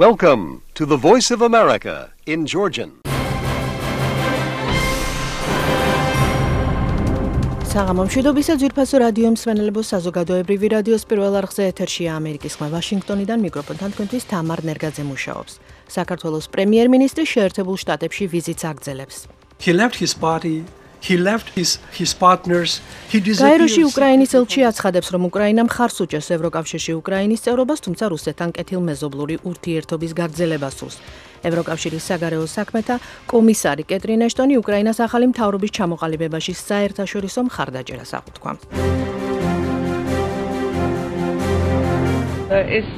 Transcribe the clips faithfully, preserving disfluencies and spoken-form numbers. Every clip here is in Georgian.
Welcome to the Voice of America in Georgian. საღამომშვიდობისა ძვირფასო რადიო მსმენელებო საზოგადოებრივი რადიოს პირველ არხზე ეთერშია ამერიკის ხმა ვაშინგტონიდან მიკროფონთან თქვენთვის თამარ ნერგაძე მუშაობს. საქართველოს პრემიერ-მინისტრი შეერთებულ შტატებში ვიზიტს აგრძელებს. He left his party, he left his his partners, he disappeared. გაეროში უკრაინის ელჩი აცხადებს, რომ უკრაინა მხარს უჭერს ევროკავშირში უკრაინის წევრობას, თუმცა რუსეთთან კეთილმეზობლური ურთიერთობის გაგრძელებას სურს. ევროკავშირის საგარეო საქმეთა კომისარი კეტრინ ეშტონი უკრაინას ახალი მთავრობის ჩამოყალიბებაში საერთაშორისო მხარდაჭერას აღუთქვამს. ეს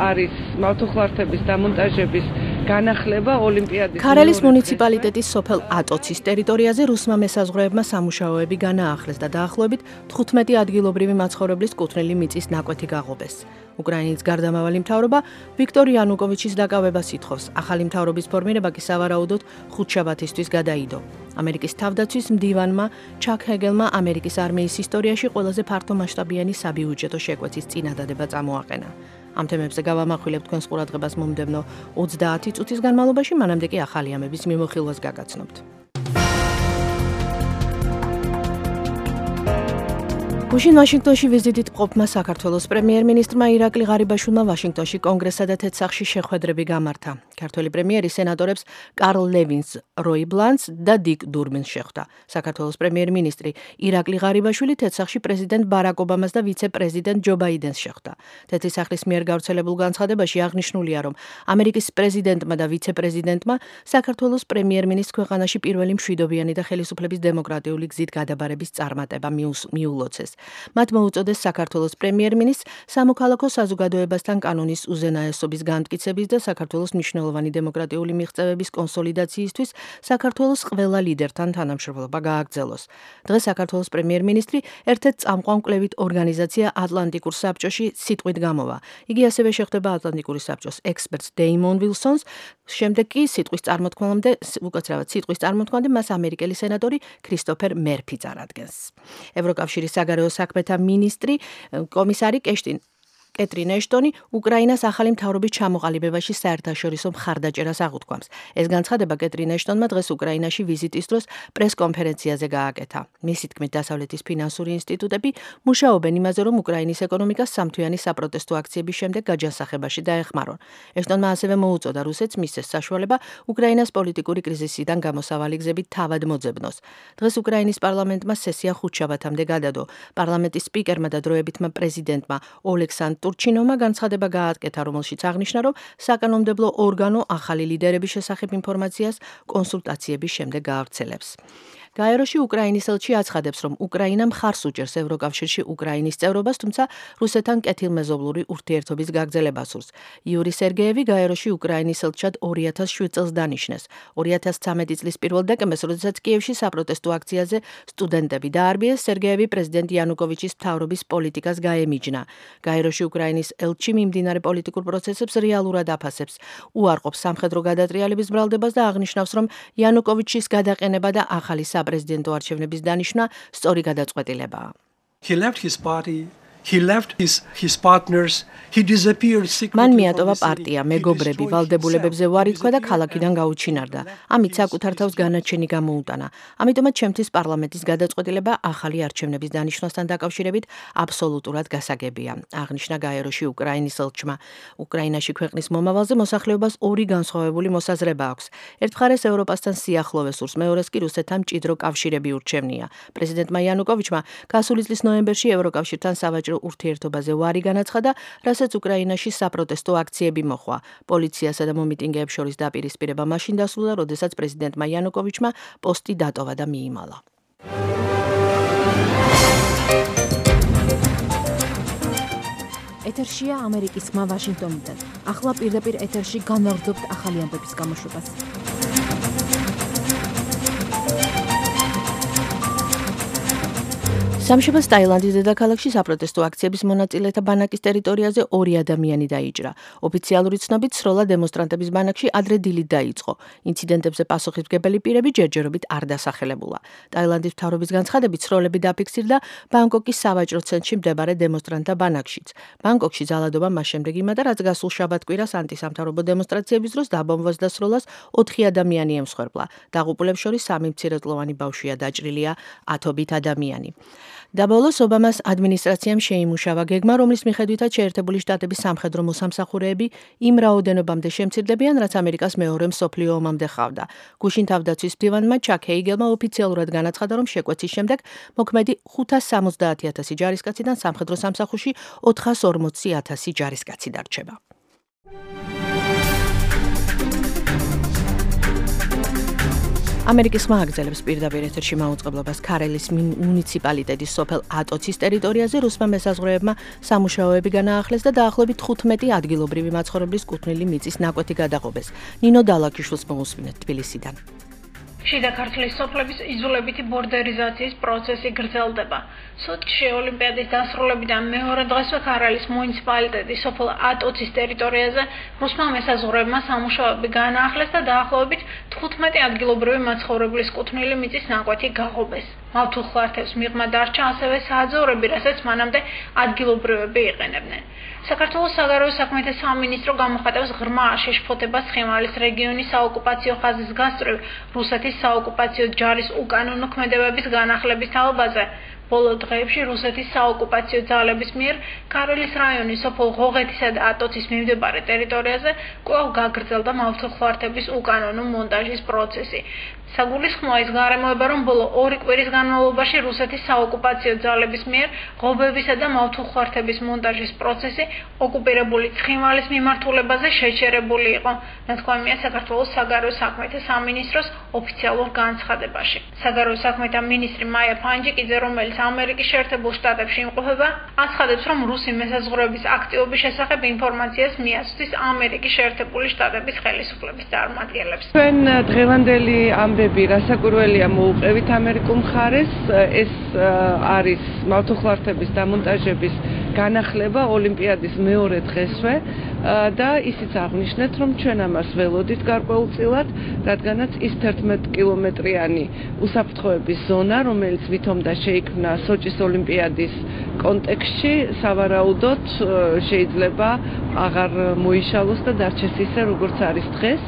არის მავთუხლართების დამონტაჟების განახლება ოლიმპიადის ქარელის მუნიციპალიტეტის სოფელ ატოცის ტერიტორიაზე რუსმა მესაზღვრეებმა სამუშაოები განაახლეს და დაახლოებით თხუთმეტი ადგილობრივი მაცხოვრებლის კუთვნილი მიწის ნაკვეთი გაღობეს. უკრაინის გარდამავალი მთავრობა ვიქტორ იანუკოვიჩის დაკავებას ითხოვს. ახალი მთავრობის ფორმირება კი სავარაუდოდ ხუთშაბათისთვის გადაიდო. ამერიკის თავდაცვის მდივანმა ჩაკ ჰეგელმა ამერიკის არმიის ისტორიაში ყველაზე ფართომასშტაბიანი საბიუჯეტო შეკვეთის წინადადება წამოაყენა. ამ თემებზე გავამახვილებთ თქვენს ყურადღებას მომდევნო ოცდაათი წუთის განმავლობაში, მანამდე კი ახალი ამების მიმოხილვას გაგაცნობთ. გუშინ ვაშინგტონში ვიზიტით მყოფმა საქართველოს პრემიერ-მინისტრმა ირაკლი ღარიბაშვილმა ვაშინგტონში კონგრესსა და თეთრსახში შეხვედრები გამართა. ქართველი პრემიერი სენატორებს კარლ ლევინს, როი ბლანს და დიკ დურბინს შეხვდა. საქართველოს პრემიერ-მინისტრი ირაკლი ღარიბაშვილი თეთრსახში პრეზიდენტ ბარაკ ობამას და ვიცე-პრეზიდენტ ჯო ბაიდენს შეხვდა. თეთრი სახლის მიერ გავრცელებულ განცხადებაში აღნიშნულია, რომ ამერიკის პრეზიდენტმა და ვიცე-პრეზიდენტმა საქართველოს პრემიერ-მინისტრს ქვეყანაში პირველი მშვიდობიანი და ხელისუფლების დემოკრატიული გზით გადაბარების წარმატება მიულოცეს. მათ მოუწოდეს საქართველოს პრემიერ-მინისტრს სამოქალაქო საზოგადოებასთან კანონის უზენაესობის განმტკიცების და საქართველოს მნიშვნელოვანი დემოკრატიული მიღწევების კონსოლიდაციისთვის საქართველოს ყველა ლიდერთან თანამშრომლობა გააგრძელოს. დღეს საქართველოს პრემიერ-მინისტრი ერთ-ერთ წამყვან მკვლევით ორგანიზაცია ატლანტიკურ საბჭოში სიტყვით გამოვა. იგი ასევე შეხვდება ატლანტიკური საბჭოს ექსპერტს დეიმონ ვილსონს, შემდეგ კი სიტყვის წარმოთქმამდე, უკაცრავად სიტყვის წარმოთქმამდე მას ამერიკელი სენატორი ქრისტოფერ მერფი წარადგენს. ევროკავშირის საგარეო საქმეთა მინისტრი კომისარი კეშტინ კეტრინ ეშტონი უკრაინას ახალი მთავრობის ჩამოყალიბებაში საერთაშორისო მხარდაჭერას აღუთქვამს. ეს განცხადება კეტრინ ეშტონმა დღეს უკრაინაში ვიზიტის დროს პრეს-კონფერენციაზე გააკეთა. მისი თქმით, დასავლეთის ფინანსური ინსტიტუტები მუშაობენ იმაზე, რომ უკრაინის ეკონომიკას სამთვიანი საპროტესტო აქციების შემდეგ გაჯანსაღებაში დაეხმარონ. ეშტონმა ასევე მოუწოდა რუსეთს მისცეს საშუალება უკრაინას პოლიტიკური კრიზისიდან გამოსავალი გზებით თავად მოძებნოს. დღეს უკრაინის პარლამენტმა სესია ხუთშაბათამდე გადადო. პარლამენტის სპიკერმა და დროებითმა პრეზიდენტმა ოლექსანდრ ტურჩინოვმა განცხადება გააკეთა, რომელშიც აღნიშნა, რომ საკანონმდებლო ორგანო ახალი ლიდერების შესახებ ინფორმაციას კონსულტაციების შემდეგ გაავრცელებს. გაეროში უკრაინის ელჩი აცხადებს, რომ უკრაინა მხარს უჭერს ევროკავშირში უკრაინის წევრობას, თუმცა რუსეთთან კეთილმეზობლური ურთიერთობის გაგრძელებას სურს. იური სერგეევი გაეროში უკრაინის ელჩად ორი ათას შვიდ წელს დანიშნეს. ორი ათას ცამეტი წლის პირველ დეკემბერს, როდესაც კიევში საპროტესტო აქციაზე სტუდენტები დაარბიეს, სერგეევი პრეზიდენტ იანუკოვიჩის მთავრობის პოლიტიკას გაემიჯნა. გაეროში უკრაინის ელჩი მიმდინარე პოლიტიკურ პროცესებს რეალურად აფასებს, უარყოფს სამხედრო გადატრიალების ბრალდებას და აღნიშნავს, რომ იანუკოვიჩის გადაყენება და ახალი პრეზიდენტო არჩევნების დანიშვნა სწორი გადაწყვეტილებაა. He left his party, he left his his partners, he disappeared secretly. მან მიატოვა პარტია, მეგობრები, ვალდებულებებზე უარი თქვა და ქალაქიდან გაუჩინარდა. ამით საკუთარ თავს განაჩენი გამოუტანა. ამიტომაც ჩემთვის პარლამენტის გადაწყვეტილება ახალი არჩევნების დანიშვნასთან დაკავშირებით აბსოლუტურად გასაგებია. აღნიშნა გაეროში უკრაინის ელჩმა. უკრაინაში ქვეყნის მომავალზე მოსახლეობას ორი განსხვავებული მოსაზრება აქვს. ერთ მხარეს ევროპასთან სიახლოვე სურს, მეორეს კი რუსეთთან მჭიდრო კავშირები ურჩევნია. პრეზიდენტმა იანუკოვიჩმა გასული წლის ნოემბერში ევროკავშირთან სავაჭრო ურთიერთობაზე უარი განაცხადა, რასაც უკრაინაში საპროტესტო აქციები მოჰყვა. პოლიციასა და მომიტინგეებს შორის დაპირისპირება მაშინ დასრულდა, როდესაც პრეზიდენტმა იანუკოვიჩმა პოსტი დატოვა და მიიმალა. ეთერშია ამერიკის ხმა ვაშინგტონიდან. ახლა პირდაპირ ეთერში განვაგრძობთ ახალი ამბების გამოშვებას. სამშაბათს ტაილანდის დედაქალაქში საპროტესტო აქციების მონაწილეთა ბანაკის ტერიტორიაზე ორი ადამიანი დაიჭრა. ოფიციალური ცნობით სროლა დემონსტრანტების ბანაკში ადრე დილით დაიწყო. ინციდენტებზე პასუხისმგებელი პირები ჯერჯერობით არ დასახელებულა. ტაილანდის მთავრობის განცხადებით სროლები დაფიქსირდა ბანგკოკის სავაჭრო ცენტრში მდებარე დემონსტრანტთა ბანაკშიც. ბანგკოკში ძალადობა მას შემდეგ იმატა, რაც გასულ შაბათ-კვირას ანტისამთავრობო დემონსტრაციების დროს დაბომბვას და სროლას ოთხი ადამიანი ემსხვერპლა. დაღუპულებს შორის სამი მცირეწლოვანი ბავშვია, დაჭრილია ათობით ადამიანი. დაბოლოს ობამას ადმინისტრაციამ შეიმუშავა გეგმა, რომლის მიხედვითაც შეერთებული შტატების სამხედრო მოსამსახურეები იმ რაოდენობამდე შემცირდებიან, რაც ამერიკას მეორე მსოფლიო ომამდე ხავდა. გუშინ თავდაცვის მდივანმა ჩაკ ჰეიგელმა ოფიციალურად განაცხადა, რომ შეკვეცის შემდეგ მოქმედი ხუთას სამოცდაათი ათასი ჯარისკაციდან სამხედრო სამსახურში ოთხას ორმოცი ათასი ჯარისკაცი დარჩება. ამერიკის ხმა აგრძელებს პირდაპირ ეთერში მაუწყებლობას ქარელის მუნიციპალიტეტის სოფელ ატოცის ტერიტორიაზე რუსმა მესაზღვრეებმა სამუშაოები განაახლეს და დაახლოებით თხუთმეტი ადგილობრივი მაცხოვრებლის კუთვნილი მიწის ნაკვეთი გადაღობეს. ნინო დალაკიშვილს მოусმინეთ თბილისიდან. შიდა ქართლის სოფლების იძულებითი ბორდერიზაციის პროცესი გრძელდება. სოჩში ოლიმპიადის დასრულებიდან მეორე დღესვე ქარელის მუნიციპალიტეტის სოფელ ატოცის ტერიტორიაზე რუსმა მესაზღვრეებმა სამუშაოები განაახლეს და დაახლოებით თხუთმეტი ადგილობრივი მაცხოვრებლის კუთვნილი მიწის ნაკვეთი გაღობეს. მავთულხლართებს მიღმა დარჩა ასევე სააძევრები, რასაც მანამდე ადგილობრივები იყენებდნენ. საქართველოს საგარეო საქმეთა სამინისტრო გამოხატავს ღრმა შეშფოთებას ცხინვალის რეგიონის საოკუპაციო ხაზის გასწვრივ რუსეთის საოკუპაციო ჯარის უკანონო ქმედებების განახლების თაობაზე. ბოლო დღეებში რუსეთის საოკუპაციო ძალების მიერ ქარელის რაიონის სოფელ ღოღეთისა და ატოცის მიმდებარე ტერიტორიაზე კვლავ გაგრძელდა მავთულხლართების უკანონო მონტაჟის პროცესი. საგულისხმოა ის გარემოება, რომ ბოლო ორი კვირის განმავლობაში რუსეთის საოკუპაციო ძალების მიერ ღობებისა და მავთულხლართების მონტაჟის პროცესი ოკუპირებული ცხინვალის მიმართულებაზე შეჩერებული იყო. ნათქვამია საქართველოს საგარეო საქმეთა სამინისტროს ოფიციალურ განცხადებაში. საგარეო საქმეთა მინისტრი მაია ფანჯიკიძე, რომელიც ამერიკის შეერთებულ შტატებში იმყოფება, აცხადებს, რომ რუსი მესაზღვრეების აქტივობის შესახებ ინფორმაციას მიაწვდის ამერიკის შეერთებული შტატების ხელისუფლების წარმომადგენლებს. ჩვენ დღევანდელი ამბები რასაკვირველია მოუყევით ამერიკულ მხარეს, ეს არის მავთულხლართების დამონტაჟების განახლება ოლიმპიადის მეორე დღესვე და ისიც აღნიშნეთ, რომ ჩვენ ამას ველოდით გარკვეულწილად, რადგანაც ის თერთმეტ კილომეტრიანი უსაფრთხოების ზონა, რომელიც ვითომდა შეიქმნა სოჭის ოლიმპიადის კონტექსტში, სავარაუდოდ შეიძლება აღარ მოიშალოს და დარჩეს ისე, როგორც არის დღეს,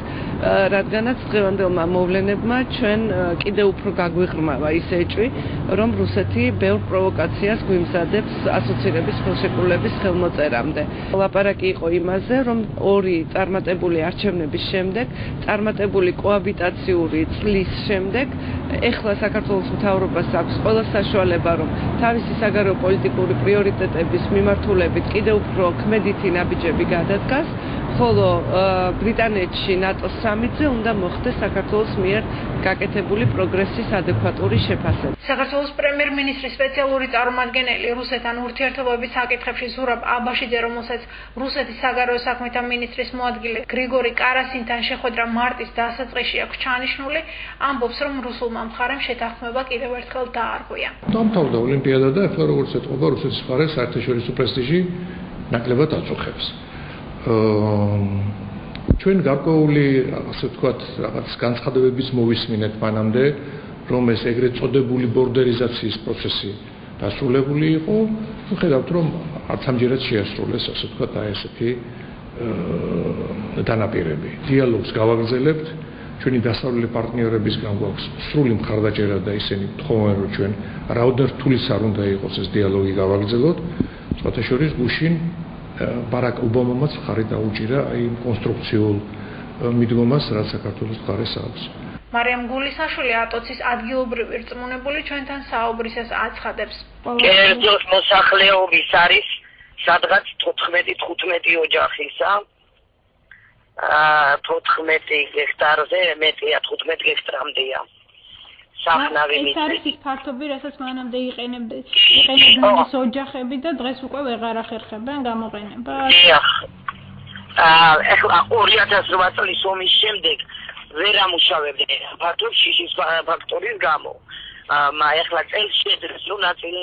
რადგანაც დღევანდელმა მოვლენებმა ჩვენ კიდევ უფრო გაგვიღრმავა ის ეჭვი, რომ რუსეთი ბევრ პროვოკაციას გვიმზადებს ასოცირების ხელშეკრულების ხელმოწერამდე. ლაპარაკი იყო იმაზე, რომ ორი წარმატებული არჩევნების შემდეგ, წარმატებული კოაბიტაციური წლის შემდეგ, ეხლა საქართველოს მთავრობას აქვს ყველა საშუალება, რომ თავისი საგარეო პოლიტიკური პრიორიტეტების მიმართულებით კიდევ უფრო ქმედითი ნაბიჯები გადადგას, ხოლო ბრიტანეთში ნატოს სამიტზე უნდა მოხდეს საქართველოს მიერ გაკეთებული პროგრესის ადეკვატური შეფასება. საქართველოს პრემიერ-მინისტრის სპეციალური წარმომადგენელი რუსეთთან ურთიერთობების საკითხებში ზურაბ აბაშიძე, რომელსაც რუსეთის საგარეო საქმეთა მინისტრის მოადგილე გრიგორი კარასინთან შეხვედრა მარტის დასაწყისში აქვს ჩანიშნული, ამბობს, რომ რუსულმა მხარემ შეთანხმება კიდევ ერთხელ დაარღვია. დამთავრდა ოლიმპიადა და ახლა როგორც ეთყობა რუსეთის მხარე საერთაშორისო პრესტიჟი ნაკლებად აწუხებს. ჩვენ გარკვეული, ასე ვთქვათ, რაღაც განცხადებების მოვისმინეთ მანამდე, რომ ეს ეგრეთ წოდებული ბორდერიზაციის პროცესი დასრულებული იყო. ვხედავთ, რომ არც ამჯერად შეასრულეს, ასე ვთქვათ, აი ესეთი დანაპირები. დიალოგს გავაგრძელებთ. ჩვენი დასავლელი პარტნიორებისგან გვაქვს სრული მხარდაჭერა და ისინი თხოვენ, რომ ჩვენ რაოდენად რთულიც არ უნდა იყოს ეს დიალოგი გავაგრძელოთ. სხვათა შორის გუშინ ბარაკ ობამამაც მხარი დაუჭირა იმ კონსტრუქციულ მიდგომას, რაც საქართველოს მხარეს აქვს. მარიამ გულისაშვილი ატოცის ადგილობრივი რწმუნებული ჩვენთან საუბრისას აცხადებს. კერძოდ მოსახლეობის არის სადღაც თოთხმეტი თხუთმეტი ოჯახისა. თოთხმეტი ჰექტარზე მეტია, თხუთმეტი ჰექტრამდეა. სახნავი მიწა. ეს არის ის ფართობი, რასაც მანამდე იყენებდნენ. იყენებდნენ ეს ოჯახები და დღეს უკვე ვეღარ ახერხებენ გამოყენება. დიახ. აა ეხლა ორი ათას რვა წლის ომის შემდეგ ვერ ამუშავებდნენ ფართობს შიშის ფაქტორის გამო. ეხლა წელს შეძლეს რომ ნაწილი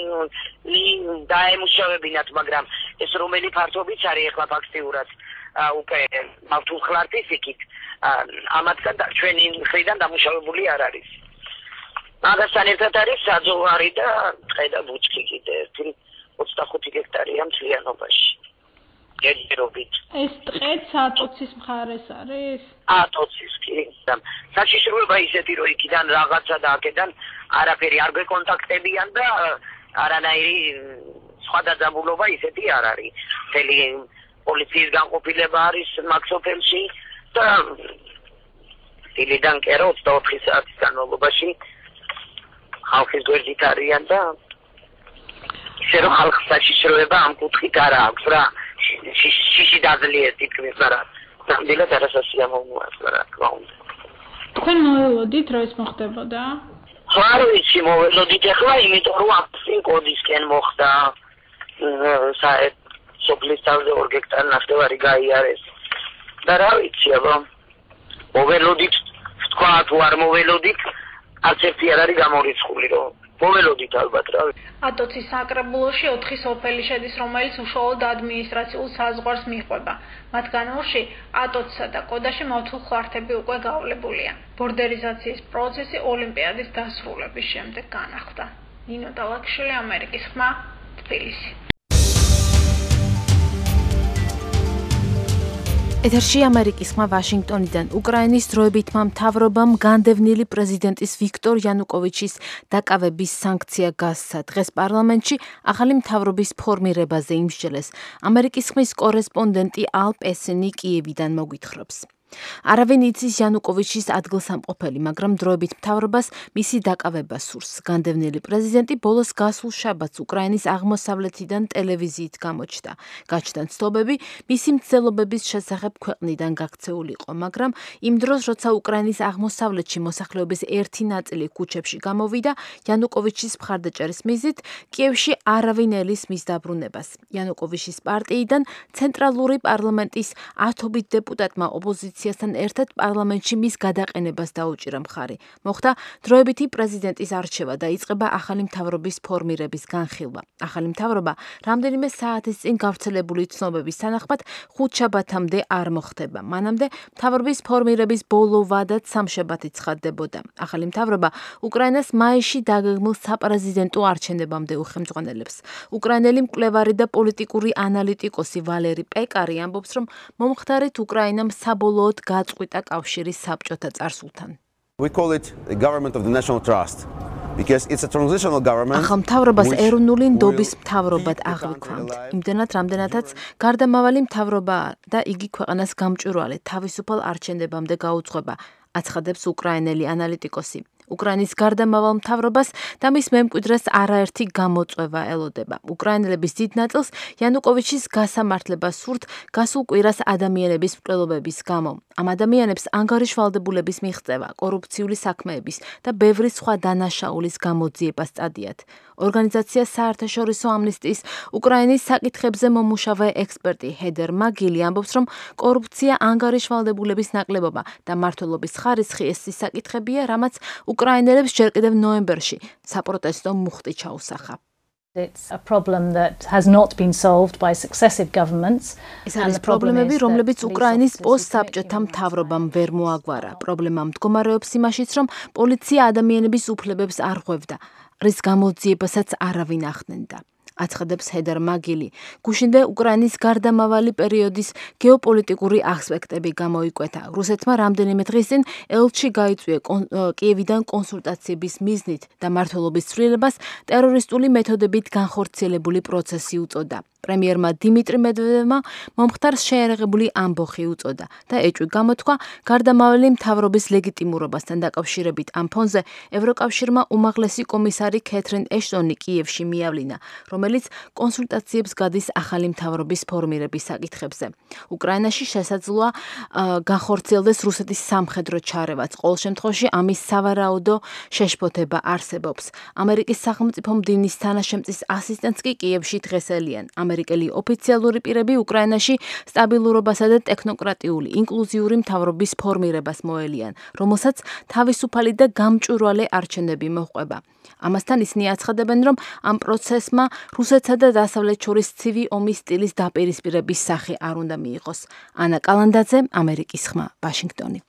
დაემუშავებინათ, მაგრამ ეს რომელი ფართობიც არის ეხლა ფაქტიურად უკვე მართულხლარდის იქით ამათგან ჩვენი მხრიდან დამუშავებული არ არის. მაგასთან ერთად არის საძოვარი და ტყე და ბუჩქი კიდე ერთი ოცდახუთი ჰექტარია მთლიანობაში. გერობით. ეს ტყეც ატოცის მხარეს არის? ატოცის კი. საშიშროება ისეთი რომ იქიდან რაღაცა და აქედან არაფერი არ გვეკონტაქტებიან და არანაირი სხვა დაძაბულობა ისეთი არ არის. მთელი პოლიციის განყოფილება არის მაგ სოფელში და დილიდან კერო ოცდაოთხი საათის განმავლობაში ხალხის გვერდით არიან და ისე რომ ხალხს საშიშროება ამ კუთხით არ აქვს რა. შიში დაძლიერთ თითქმის არა. ნამდვილად არასასიამოვნოა რა თქმა უნდა. თქვენ მოველოდით რომ ეს მოხდებოდა? არ ვიცი მოველოდით ახლა იმიტომ რომ აფსინ კოდისკენ მოხდა საერთოდ სოფლის თავზე ორ ჰექტარი ნახევარი გაიარეს. და რა ვიცი აბა მოველოდით თქვა თუ არ მოველოდით არც ერთი არ არის გამორიცხული რომ მოველოდით ალბათ რა. ატოცის საკრებულოში ოთხი სოფელი შედის, რომელიც უშუალოდ ადმინისტრაციულ საზღვარს მიჰყვება. მათგან ორში ატოცსა და კოდაში მართულხლართები უკვე გაავლებულია. ბორდერიზაციის პროცესი ოლიმპიადის დასრულების შემდეგ განახლდა. ნინო დალაქშვილი, ამერიკის ხმა, თბილისი. ეთერში ამერიკის ხმა ვაშინგტონიდან. უკრაინის დროებითმა მთავრობამ განდევნილი პრეზიდენტის ვიქტორ იანუკოვიჩის დაკავების სანქცია გასცა. დღეს პარლამენტში ახალი მთავრობის ფორმირებაზე იმსჯელეს. ამერიკის ხმის კორესპონდენტი ალ პესინი კიევიდან მოგვითხრობს. არავინ იცის იანუკოვიჩის ადგილსამყოფელი, მაგრამ დროებით მთავრობას მისი დაკავება სურს. განდევნილი პრეზიდენტი ბოლოს გასულ შაბათს უკრაინის აღმოსავლეთიდან ტელევიზიით გამოჩნდა. გაჩნდა ცნობები მისი მცდელობების შესახებ ქვეყნიდან გაქცეული იყო, მაგრამ იმ დროს, როცა უკრაინის აღმოსავლეთში მოსახლეობის ერთი ნაწილი ქუჩებში გამოვიდა, იანუკოვიჩის მხარდაჭერის მიზნით, კიევში არავინ ელის მის დაბრუნებას. იანუკოვიჩის პარტიიდან ცენტრალური პარლამენტის ათობით დეპუტატმა ოპოზიცია თან ერთად პარლამენტში მის გადაყენებას დაუჭირა მხარი. მოხდა დროებითი პრეზიდენტის არჩევა და იწყება ახალი მთავრობის ფორმირების განხილვა. ახალი მთავრობა რამდენიმე საათის წინ გავრცელებული ცნობების თანახმად ხუთ შაბათამდე არ მოხდება. მანამდე მთავრობის ფორმირების ბოლო ვადაც სამშაბათი ცხადდებოდა. ახალი მთავრობა უკრაინას მაისში დაგეგმილ საპრეზიდენტო არჩევნებამდე უხელმძღვანელებს. უკრაინელი მკვლევარი და პოლიტიკური ანალიტიკოსი ვალერი პეკარი ამბობს, რომ მომხდარით უკრაინამ საბოლოოდ გაწყვიტა კავშირის საბჭოთა წარსულთან. We call it the government of the national trust because it's a transitional government. ახალ მთავრობას ეროვნული ნდობის მთავრობად აღვიქვამთ. იმდენად, რამდენადაც გარდამავალი მთავრობა და იგი ქვეყანას გამჭვირვალე თავისუფალ არჩევნებამდე გაუძღვება, აცხადებს უკრაინელი ანალიტიკოსი. უკრაინის გარდამავალ მთავრობას და მის მემკვიდრეს არაერთი გამოწვევა ელოდება. უკრაინელების დიდ ნაწილს იანუკოვიჩის გასამართლება სურთ გასულ კვირას ადამიანების მკვლელობების გამო. ამ ადამიანებს ანგარიშვალდებულების მიღწევა, კორუფციული საქმეების და ბევრი სხვა დანაშაულის გამოძიება სწადიათ. ორგანიზაცია საერთაშორისო ამნისტიის უკრაინის საკითხებზე მომუშავე ექსპერტი ჰედერ მაგილი ამბობს, რომ კორუფცია, ანგარიშვალდებულების ნაკლებობა და მმართველობის ხარისხი ეს ის საკითხებია, რამაც უკრაინელებს ჯერ კიდევ ნოემბერში საპროტესტო მუხტი ჩაუსახა. It's a problem that has not been solved by successive governments. ეს არის პრობლემები, რომლებიც უკრაინის პოსტსაბჭოთა მთავრობამ ვერ მოაგვარა. პრობლემა მდგომარეობს იმაშიც, რომ პოლიცია ადამიანების უფლებებს არ ღვევდა, რის გამოძიებასაც არავინ ახდენდა. აცხადებს ჰედერ მაგილი. გუშინვე უკრაინის გარდამავალი პერიოდის გეოპოლიტიკური ასპექტები გამოიკვეთა. რუსეთმა რამდენიმე დღის წინ ელჩი გაიწვია კიევიდან კონსულტაციების მიზნით და მმართველობის ცვლილებას ტერორისტული მეთოდებით განხორციელებული პროცესი უწოდა. პრემიერმა დიმიტრი მედვედევმა მომხდარს შეერაღებული ამბოხი უწოდა და ეჭვი გამოთქვა გარდამავალი მთავრობის ლეგიტიმურობასთან დაკავშირებით. ამ ფონზე ევროკავშირმა უმაღლესი კომისარი კეთრინ ეშტონი კიევში მიავლინა, რომელიც კონსულტაციებს გადის ახალი მთავრობის ფორმირების საკითხებზე. უკრაინაში შესაძლოა განხორციელდეს რუსეთის სამხედრო ჩარევაც. ყოველ შემთხვევაში ამის სავარაუდო შეშფოთება არსებობს. ამერიკის სახელმწიფო მდივნის თანაშემწის ასისტენტს კი კიევში დღეს ელიან. ამერიკელი ოფიციალური პირები უკრაინაში სტაბილურობასა და ტექნოკრატიული ინკლუზიური მთავრობის ფორმირებას მოელიან, რომელსაც თავისუფალი და გამჭვირვალე არჩევნები მოჰყვება. ამასთან ისინი აცხადებენ, რომ ამ პროცესმა რუსეთსა და დასავლეთს შორის ცივი ომის სტილის დაპირისპირების სახე არ უნდა მიიღოს. ანა კალანდაძე, ამერიკის ხმა, ვაშინგტონი.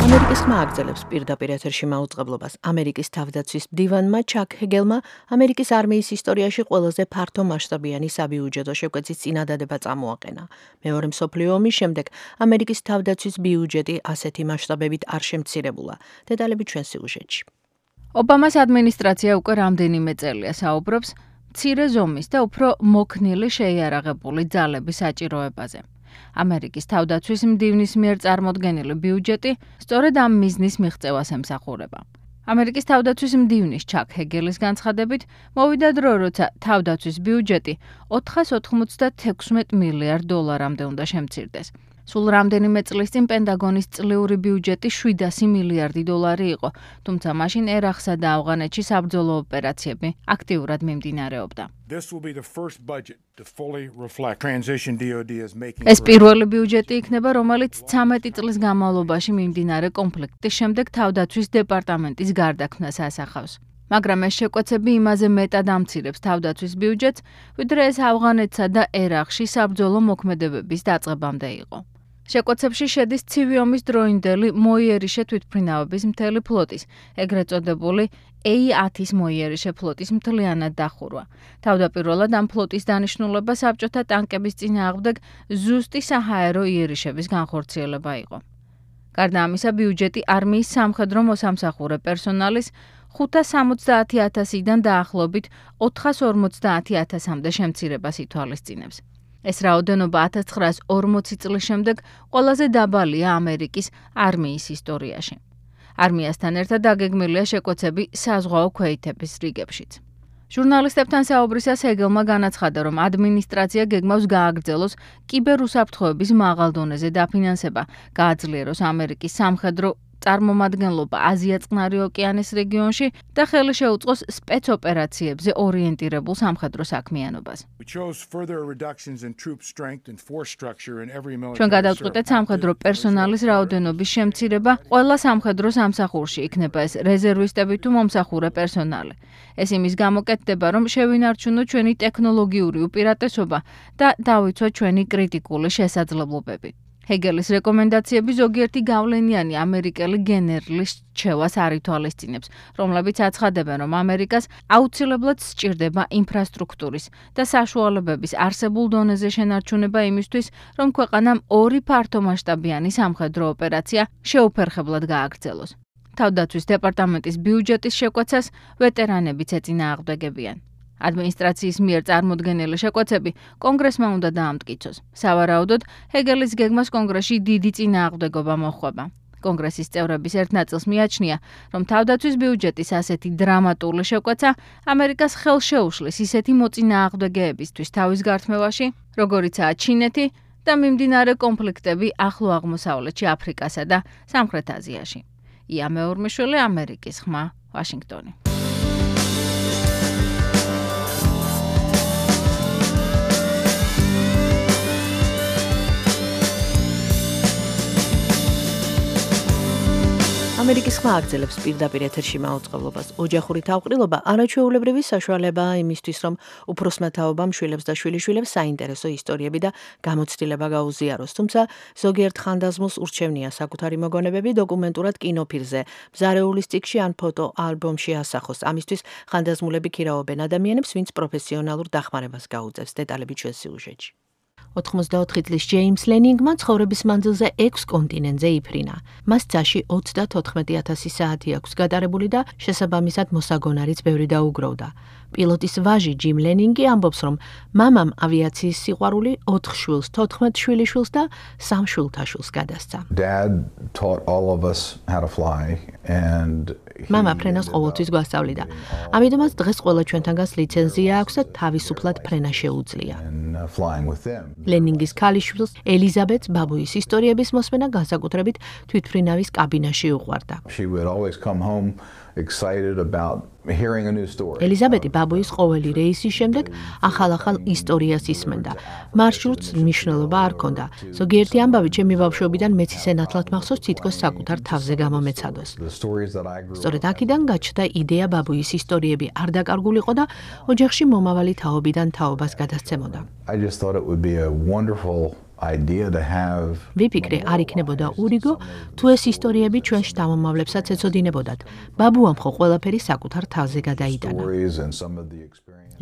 ამერიკის ხმა აგრძელებს პირდაპირ ეთერში მაუწყებლობას. ამერიკის თავდაცვის მდივანმა ჩაკ ჰეგელმა ამერიკის არმიის ისტორიაში ყველაზე ფართო მასშტაბიანი საბიუჯეტო შეკვეცის წინადადება წამოაყენა. მეორე მსოფლიო ომის შემდეგ ამერიკის თავდაცვის ბიუჯეტი ასეთი მასშტაბებით არ შემცირებულა. დეტალები ჩვენ სიუჟეტში. ობამას ადმინისტრაცია უკვე რამდენიმე წელია საუბრობს მცირე ზომის და უფრო მოქნილი შეიარაღებული ძალების საჭიროებაზე. ამერიკის თავდაცვის მდივნის მიერ წარმოდგენილი ბიუჯეტი სწორედ ამ მიზნის მიღწევას ემსახურება. ამერიკის თავდაცვის მდივნის ჩაკ ჰეგელის განცხადებით, მოვიდა დრო, როცა თავდაცვის ბიუჯეტი ოთხას ოთხმოცდათექვსმეტ მილიარდ დოლარამდე უნდა შემცირდეს. სულ რამდენიმე წლის წინ პენტაგონის წლიური ბიუჯეტი შვიდასი მილიარდი დოლარი იყო, თუმცა მაშინ ერაყსა და ავღანეთში საბრძოლო ოპერაციები აქტიურად მიმდინარეობდა. ეს პირველი ბიუჯეტი იქნება, რომელიც ცამეტი წლის განმავლობაში მიმდინარე კონფლიქტის შემდეგ თავდაცვის დეპარტამენტის გარდაქმნას ასახავს. მაგრამ ეს შეკვეცები იმაზე მეტად ამცირებს თავდაცვის ბიუჯეტს, ვიდრე ეს ავღანეთსა და ერაყში საბრძოლო მოქმედებების დაწყებამდე იყო. შეკვეცებში შედის ცივი ომის დროინდელი მოიერიშე თვითმფრინავების მთელი ფლოტის, ეგრეთ წოდებული ეი ათის მოიერიშე ფლოტის მთლიანად დახურვა. თავდაპირველად ამ ფლოტის დანიშნულება საბჭოთა ტანკების წინააღმდეგ ზუსტი საჰაერო იერიშების განხორციელება იყო. გარდა ამისა, ბიუჯეტი არმიის სამხედრო მოსამსახურე პერსონალის ხუთას სამოცდაათი ათასიდან დაახლოებით ოთხას ორმოცდაათი ათასამდე შემცირებას ითვალისწინებს. ეს რაოდენობა ათას ცხრაას ორმოცი წლის შემდეგ ყველაზე დაბალია ამერიკის არმიის ისტორიაში. არმიასთან ერთად დაგეგმილია შეკვეცები საზღვაო ქვეითების რიგებშიც. ჟურნალისტებთან საუბრისას ჰეგელმა განაცხადა, რომ ადმინისტრაცია გეგმავს გააგრძელოს კიბერუსაფრთხოების მაღალ დონეზე დაფინანსება, გააძლიეროს ამერიკის სამხედრო წარმომადგენლობა აზია-წყნარი ოკეანის რეგიონში და ხელი შეუწყოს სპეცოპერაციებზე ორიენტირებულ სამხედრო საქმიანობას. ჩვენ გადავწყვეტეთ სამხედრო პერსონალის რაოდენობის შემცირება ყველა სამხედრო სამსახურში, იქნება ეს რეზერვისტები თუ მომსახურე პერსონალი. ეს იმის გამოკეთდება, რომ შევინარჩუნოთ ჩვენი ტექნოლოგიური უპირატესობა და დავიცვათ ჩვენი კრიტიკული შესაძლებლობები. ჰეგელის რეკომენდაციები ზოგიერთი გავლენიანი ამერიკელი გენერლის რჩევას არ ითვალისწინებს, რომლებიც აცხადებენ, რომ ამერიკას აუცილებლად სჭირდება ინფრასტრუქტურის და საშუალებების არსებულ დონეზე შენარჩუნება იმისთვის, რომ ქვეყანამ ორი ფართომასშტაბიანი სამხედრო ოპერაცია შეუფერხებლად გააგრძელოს. თავდაცვის დეპარტამენტის ბიუჯეტის შეკვეცას ვეტერანებიც ეწინააღმდეგებიან. ადმინისტრაციის მიერ წარმოდგენილი შეკვეცები კონგრესმა უნდა დაამტკიცოს. სავარაუდოდ, ჰეგელის გეგმას კონგრესში დიდი წინააღმდეგობა მოჰყვება. კონგრესის წევრების ერთ ნაწილს მიაჩნია, რომ თავდაცვის ბიუჯეტის ასეთი დრამატული შეკვეცა ამერიკას ხელს შეუშლის ისეთი მოწინააღმდეგეებისთვის თავის გართმევაში, როგორიცაა ჩინეთი და მიმდინარე კონფლიქტები ახლო აღმოსავლეთში, აფრიკასა და სამხრეთ აზიაში. ია მეორმიშვილი, ამერიკის ხმა, ვაშინგტონი. ამერიკის ხმა აგრძელებს პირდაპირ ეთერში მაუწყებლობას. ოჯახური თავყრილობა არაჩვეულებრივი საშუალებაა იმისთვის, რომ უფროსმა თაობამ შვილებს და შვილიშვილებს საინტერესო ისტორიები და გამოცდილება გაუზიაროს. თუმცა ზოგიერთ ხანდაზმულს ურჩევნია საკუთარი მოგონებები დოკუმენტურად კინოფილმზე, მზარეულის წიგნში ან ფოტო ალბომში ასახოს. ამისთვის ხანდაზმულები ქირაობენ ადამიანებს, ვინც პროფესიონალურ დახმარებას გაუწევს. დეტალები ჩვენ სიუჟეტში. ოთხმოცდაოთხი წლის ჯეიმს ლენინგმა ცხოვრების მანძილზე ექვს კონტინენტზე იფრინა. მას წაში ოცდათოთხმეტი ათასი საათი აქვს გატარებული და შესაბამისად მოსაგონარიც ბევრი დაუგროვდა. პილოტის ვაჟი ჯიმ ლენინგი ამბობს, რომ მამამ ავიაციის სიყვარული ოთხ შვილს, თოთხმეტ შვილიშვილს და სამ შვილთაშვილს გადასცა. Dad taught all of us how to fly and მამა ფრენას ყოველთვის გვასწავლიდა. ამიტომაც დღეს ყველა ჩვენთანგანს ლიცენზია აქვს და თავისუფლად ფრენა შეუძლია. ლენინგის ქალიშვილს ელიზაბეტს ბაბუის ისტორიების მოსმენა განსაკუთრებით თვითმფრინავის კაბინაში უყვარდა. excited about hearing a new story. ელიზაბეტი ბაბუის ყოველი რეისის შემდეგ ახალ-ახალ ისტორიას ისმენდა. მარშრუტს მნიშვნელობა არ ჰქონდა. ზოგიერთი ამბავი ჩემი ბავშვობიდან მეც ისე ნათლად მახსოვს, თითქოს საკუთარ თავზე გამომეცადოს. სწორედ აქედან გაჩნდა იდეა ბაბუის ისტორიები არ დაკარგულიყო და ოჯახში მომავალი თაობიდან თაობას გადასცემოდა. I just thought it would be a wonderful idea to have. ვიფიქრე, არ იქნებოდა ურიგო, თუ ეს ისტორიები ჩვენ შთამომავლებსაც ეცოდინებოდათ. ბაბუამ ხო ყველაფერი საკუთარ თავზე გადაიტანა.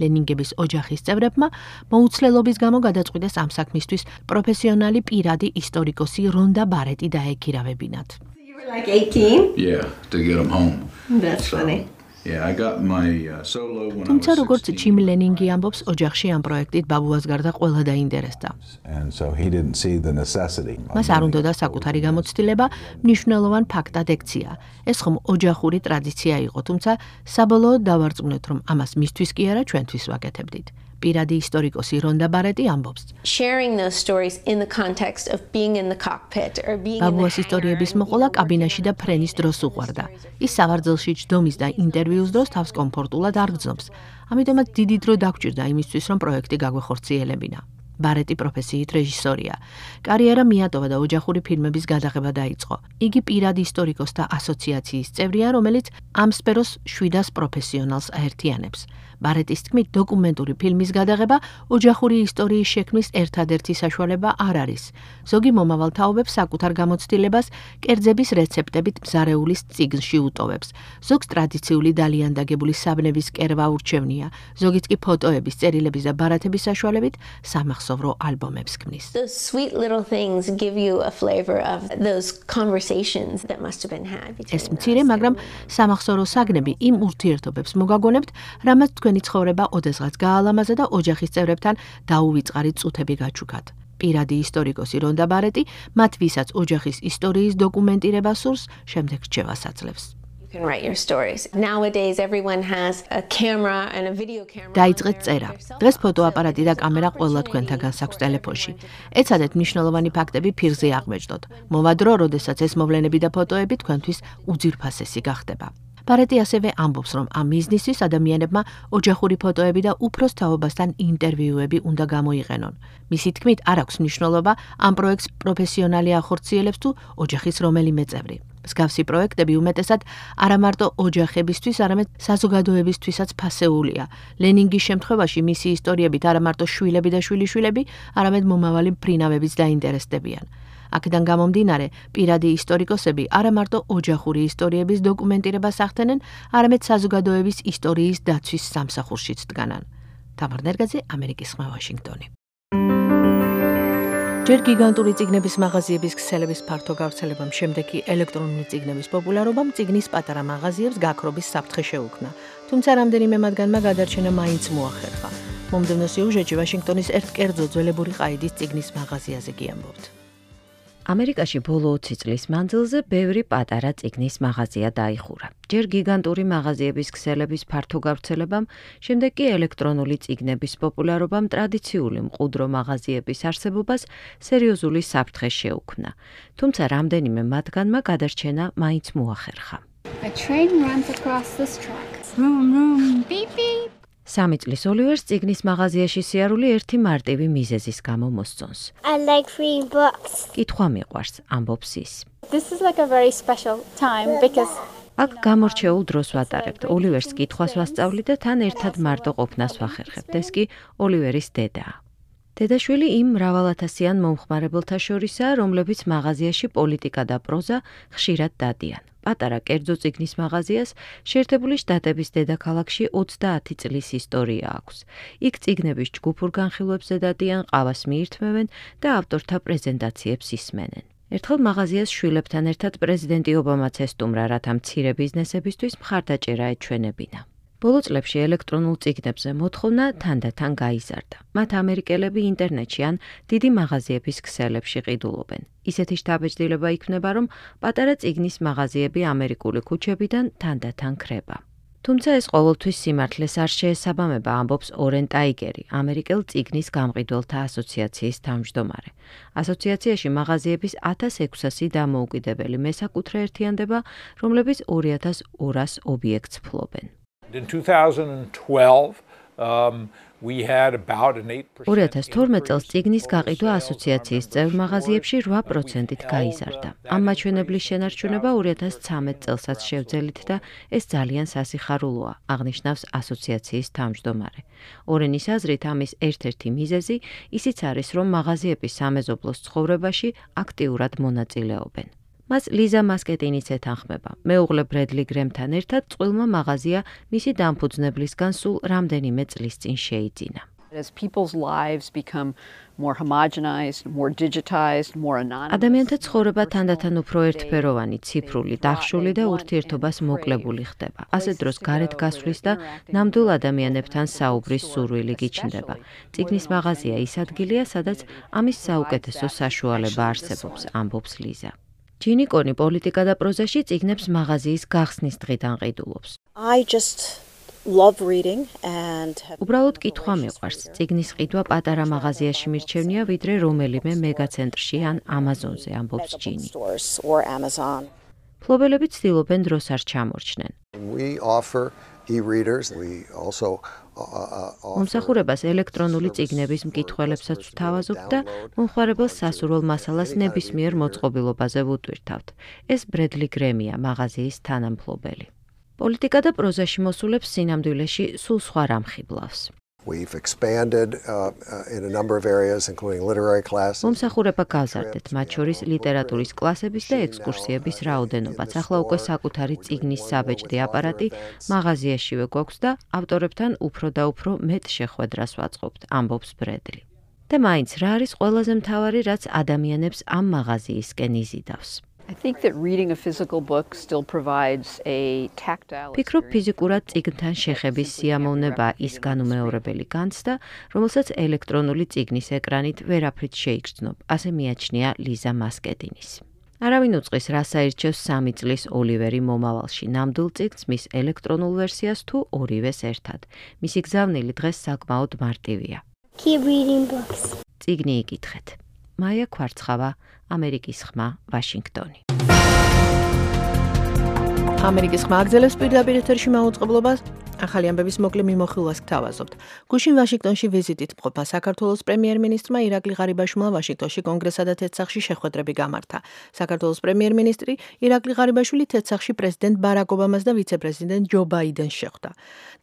ლენინგების ოჯახის წევრებმა მოუცლელობის გამო გადაწყვიტეს ამ საქმისთვის პროფესიონალი პირადი ისტორიკოსი რონდა ბარეტი დაეკირავებინათ. You were like eighteen? Yeah, to get them home. That's funny. Yeah, I got my uh, solo when თუმცა როგორც ჯიმ ლენინგი ამბობს, ოჯახში ამ პროექტით ბაბუას გარდა ყველა დაინტერესდა. And so he didn't see the necessity. მას არ უნდოდა საკუთარი გამოცდილება მნიშვნელოვან ფაქტად ექცია. ეს ხომ ოჯახური ტრადიცია იყო, თუმცა საბოლოოდ დავარწმუნეთ, რომ ამას მისთვის კი არა, ჩვენთვის ვაკეთებდით. პირადი ისტორიკოსი რონდა ბარეტი ამბობს. Sharing those stories in the context of being in the cockpit or being in the ბაბუას ისტორიების მოყოლა კაბინაში და ფრენის დროს უყვარდა. ის სავარძელში ჯდომის და ინტერვიუს დროს თავს კომფორტულად არ გრძნობს. ამიტომაც დიდი დრო დაგჭირდა იმისთვის, რომ პროექტი გაგვეხორციელებინა. ბარეტი პროფესიით რეჟისორია. კარიერა მიატოვა და ოჯახური ფილმების გადაღება დაიწყო. იგი პირადი ისტორიკოსთა ასოციაციის წევრია, რომელიც ამ სფეროს შვიდას პროფესიონალს აერთიანებს. ბარეტის თქმით, დოკუმენტური ფილმის გადაღება ოჯახური ისტორიის შექმნის ერთადერთი საშუალება არ არის. ზოგი მომავალ თაობებს საკუთარ გამოცდილებას კერძების რეცეპტებით მზარეულის წიგნში უტოვებს. ზოგს ტრადიციული დალიან დაგებული საბნების კერვა ურჩევნია, ზოგიც კი ფოტოების, წერილების და ბარათების საშუალებით სამახსოვრო ალბომებს ქმნის. Those sweet little things give you a flavor of those conversations that must have been had between. ეს მცირე, მაგრამ სამახსოვრო საგნები იმ ურთიერთობებს მოგაგონებთ, რამაც თქვენი ცხოვრება ოდესღაც გაალამაზა და ოჯახის წევრებთან დაუვიწყარი წუთები გაჩუქათ. პირადი ისტორიკოსი რონდა ბარეტი მათ ვისაც ოჯახის ისტორიის დოკუმენტირება სურს, შემდეგ რჩევას აძლევს. You can write your stories. Nowadays everyone has a camera and a video camera. დაიწყეთ წერა. დღეს ფოტოაპარატი და კამერა ყველა თქვენთაგან აქვს ტელეფონში. ეცადეთ მნიშვნელოვანი ფაქტები ფირზე აღმეჯდოთ. მოვა დრო, როდესაც ეს მოვლენები და ფოტოები თქვენთვის უძირფასესი გახდება. ბარეტი ასევე ამბობს, რომ ამ მიზნისთვის ადამიანებმა ოჯახური ფოტოები და უფროს თაობასთან ინტერვიუები უნდა გამოიყენონ. მისი თქმით, არ აქვს მნიშვნელობა ამ პროექტს პროფესიონალი ახორციელებს თუ ოჯახის რომელიმე წევრი. მსგავსი პროექტები უმეტესად არა მარტო ოჯახებისთვის, არამედ საზოგადოებისთვისაც ფასეულია. ლენინგის შემთხვევაში მისი ისტორიებით არა მარტო შვილები და შვილიშვილები, არამედ მომავალი მფრინავებიც დაინტერესდებიან. აქედან გამომდინარე, პირადი ისტორიკოსები არა მარტო ოჯახური ისტორიების დოკუმენტირებას ახდენენ, არამედ საზოგადოების ისტორიის დაცვის სამსახურშიც დგანან. თამარ ნერგაძე, ამერიკის ხმა, ვაშინგტონი. ჯერ გიგანტური წიგნების მაღაზიების ქსელების ფართო გავრცელებამ, შემდეგ კი ელექტრონული წიგნების პოპულარობამ წიგნის პატარა მაღაზიებს გაქრობის საფრთხე შეუქმნა. თუმცა რამდენიმე მათგანმა გადარჩენა მაინც მოახერხა. მომდევნო სიუჟეტში ვაშინგტონის ერთ კერძო ძველებური ყაიდის წიგნის მაღაზიაზე გიამბობთ. ამერიკაში ბოლო ოცი წლის მანძილზე ბევრი პატარა წიგნის მაღაზია დაიხურა. ჯერ გიგანტური მაღაზიების ქსელების ფართო გავრცელებამ, შემდეგ კი ელექტრონული წიგნების პოპულარობამ ტრადიციული მყუდრო მაღაზიების არსებობას სერიოზული საფრთხე შეუქმნა. თუმცა რამდენიმე მათგანმა გადარჩენა მაინც მოახერხა. A train runs across this track. Vroom vroom beep beep. სამი წლის ოლივერს წიგნის მაღაზიაში სიარული ერთი მარტივი მიზეზის გამო მოსწონს. I like reading books. კითხვა მიყვარს, ამბობს ის. This is like a very special time because აქ გამორჩეულ დროს ვატარებთ. ოლივერს კითხვას ვასწავლი და თან ერთად მარტო ყოფნას ვახერხებთ. ეს კი ოლივერის დედაა. დედაშვილი იმ მრავალათასიან მომხმარებელთა შორისაა, რომლებიც მაღაზიაში პოლიტიკა და პროზა ხშირად დადიან. პატარა კერძო წიგნის მაღაზიას შეერთებული შტატების დედაქალაქში ოცდაათი წლის ისტორია აქვს. იქ წიგნების ჯგუფურ განხილვებზე დადიან, ყავას მიირთმევენ და ავტორთა პრეზენტაციებს ისმენენ. ერთხელ მაღაზიას შვილებთან ერთად პრეზიდენტი ობამაც ესტუმრა, რათა მცირე ბიზნესებისთვის მხარდაჭერა ეჩვენებინა. ბოლო წლებში ელექტრონულ წიგნებზე მოთხოვნა თანდათან გაიზარდა. მათ ამერიკელები ინტერნეტში ან დიდი მაღაზიების ქსელებში ყიდულობენ. ისეთი შთაბეჭდილება იქნება, რომ პატარა წიგნის მაღაზიები ამერიკული ქუჩებიდან თანდათან ქრება. თუმცა ეს ყოველთვის სიმართლეს არ შეესაბამება, ამბობს ორენ ტაიგერი, ამერიკელ წიგნის გამყიდველთა ასოციაციის თავმჯდომარე. ასოციაციაში მაღაზიების ათას ექვსასი დამოუკიდებელი მესაკუთრე ერთიანდება, რომლებიც ორი ათას ორას ობიექტს ფლობენ. In two thousand twelve, um, we had about an eight percent ორი ათას თორმეტ წელს წიგნის გაყიდვა ასოციაციის წევრ მაღაზიებში რვა პროცენტით გაიზარდა. ამ მაჩვენებლის შენარჩუნება ორი ათას ცხრამეტ წელსაც შევძელით და ეს ძალიან სასიხარულოა, აღნიშნავს ასოციაციის თავმჯდომარე. ორენის აზრით ამის ერთ-ერთი მიზეზი ისიც არის, რომ მაღაზიები სამეზობლოს ცხოვრებაში აქტიურად მონაწილეობენ. მას ლიზა მასკეტინიც ეთანხმება. მეუღლე ბრედლი გრემთან ერთად წყვილმა მაღაზია მისი დამფუძნებლისგან სულ რამდენიმე წლის წინ შეიძინა. As people's lives become more homogenized, more digitized, more anonymous. ადამიანთა ცხოვრება თანდათან უფრო ერთფეროვანი, ციფრული, დახშული და ურთიერთობას მოკლებული ხდება. ასე დროს გარეთ გასვლის და ნამდვილ ადამიანებთან საუბრის სურვილი გიჩნდება. წიგნის მაღაზია ის ადგილია, სადაც ამის საუკეთესო საშუალება არსებობს, ამბობს ლიზა. ჯინი კონი პოლიტიკა და პროზაში წიგნებს მაღაზიის გახსნის დღიდან ყიდულობს. I just love reading and უბრალოდ კითხვა მიყვარს. წიგნის ყიდვა პატარა მაღაზიაში მირჩევნია, ვიდრე რომელიმე მეგაცენტრში ან ამაზონზე, ამბობს ჯინი. ფლობელები ცდილობენ დროს არ ჩამორჩნენ. We offer e-readers. We also მომსახურებას ელექტრონული წიგნების მკითხველებსაც ვთავაზობთ და მომხმარებელს სასურველ მასალას ნებისმიერ მოწყობილობაზე ვუტვირთავთ. ეს ბრედლი გრემია, მაღაზიის თანამფლობელი. პოლიტიკა და პროზაში მოსულებს სინამდვილეში სულ სხვა რამ ხიბლავს. We've expanded uh, in a number of areas, including literary classes. მომსახურება გავზარდეთ, მათ შორის ლიტერატურის კლასების და ექსკურსიების რაოდენობაც. ახლა უკვე საკუთარი წიგნის საბეჭდი აპარატი მაღაზიაშივე გვაქვს და ავტორებთან უფრო და უფრო მეტ შეხვედრას ვაწყობთ, ამბობს ბრედლი. და მაინც რა არის ყველაზე მთავარი, რაც ადამიანებს ამ მაღაზიისკენ იზიდავს? I think that reading a physical book still provides a tactile. ფიქრობ, ფიზიკურად წიგნთან შეხების სიამოვნება ის განუმეორებელი განცდა, რომელსაც ელექტრონული წიგნის ეკრანით ვერაფრით შეიგრძნობ, ასე მიაჩნია ლიზა მასკეტინის. არავინ უწყის, რა საირჩევს სამი წლის ოლივერი მომავალში, ნამდვილ წიგნს, მის ელექტრონულ ვერსიას თუ ორივეს ერთად. მისი გზავნილი დღეს საკმაოდ მარტივია. Keep reading books. წიგნი იკითხეთ. მაია ქვარცხავა, ამერიკის ხმა, ვაშინგტონი. ამერიკის ხმა აგზელებს პირდაპირ ეთერში მაუწყებლობას. ახალი ამბების მოკლე მიმოხილვას გთავაზობთ. გუშინ ვაშინგტონში ვიზიტით მყოფა საქართველოს პრემიერ-მინისტრმა ირაკლი ღარიბაშვილმა ვაშინგტონში კონგრესსა და თეთრსახში შეხვედრები გამართა. საქართველოს პრემიერ-მინისტრი ირაკლი ღარიბაშვილი თეთრსახში პრეზიდენტ ბარაკ ობამას და ვიცე-პრეზიდენტ ჯო ბაიდენს შეხვდა.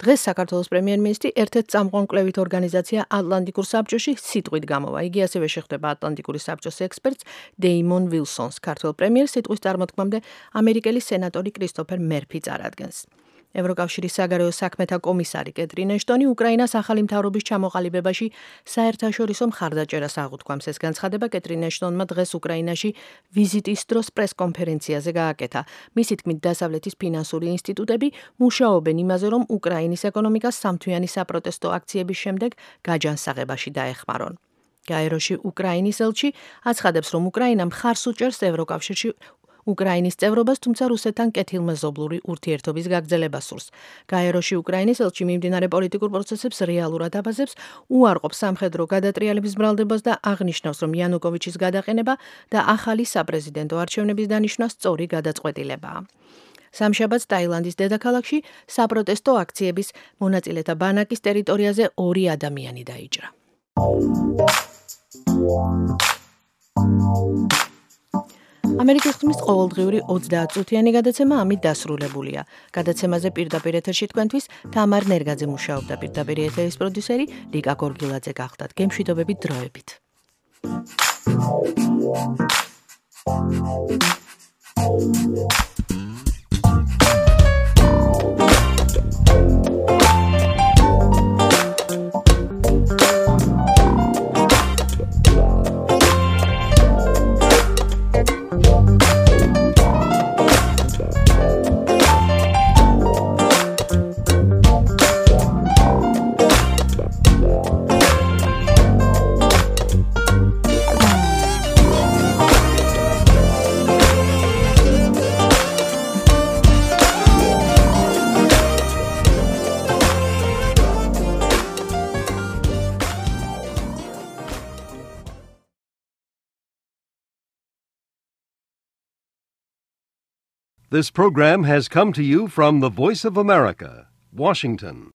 დღეს საქართველოს პრემიერ-მინისტრი ერთ-ერთ წამყვან კვლევით ორგანიზაცია ატლანტიკურ საბჭოში სიტყვით გამოვა. იგი ასევე შეხვდება ატლანტიკური საბჭოს ექსპერტს დეიმონ ვილსონს. ქართველ პრემიერს სიტყვის წარმოთქმამდე ამერიკელი სენატორი კრისტოფერ მერფი წარადგენს. ევროკავშირის საგარეო საქმეთა კომისარი კეტრინ ეშტონი უკრაინას ახალი მთავრობის ჩამოყალიბებაში საერთაშორისო მხარდაჭერას აღუთქვამს. ეს განცხადება კეტრინ ეშტონმა დღეს უკრაინაში ვიზიტის დროს პრესკონფერენციაზე გააკეთა. მისი თქმით, დასავლეთის ფინანსური ინსტიტუტები მუშაობენ იმაზე, რომ უკრაინის ეკონომიკას სამთვიანი საპროტესტო აქციების შემდეგ გაჯანსაღებაში დაეხმარონ. გაეროში უკრაინის ელჩი აცხადებს, რომ უკრაინა მხარს უჭერს ევროკავშირში უკრაინის წევრობას, თუმცა რუსეთთან კეთილმეზობლური ურთიერთობის გაგრძელებას სურს. გაეროში უკრაინის ელჩი მიმდინარე პოლიტიკურ პროცესებს რეალურად აბაზებს, უარყოფს სამხედრო გადატრიალების ბრალდებას და აღნიშნავს, რომ იანუკოვიჩის გადაყენება და ახალი საპრეზიდენტო არჩევნების დანიშვნა სწორი გადაწყვეტილებაა. სამშაბათს ტაილანდის დედაქალაქში საპროტესტო აქციების მონაწილეთა ბანაკის ტერიტორიაზე ორი ადამიანი დაიჭრა. ამერიკის ხმის ყოველდღიური ოცდაათწუთიანი გადაცემა ამით დასრულებულია. გადაცემაზე პირდაპირ ეთერში თქვენთვის თამარ ნერგაძე მუშაობდა, პირდაპირ ეთერის პროდიუსერი ლიკა გორგილაძე გახდათ. გემშვიდობებით დროებით. This program has come to you from the Voice of America, Washington.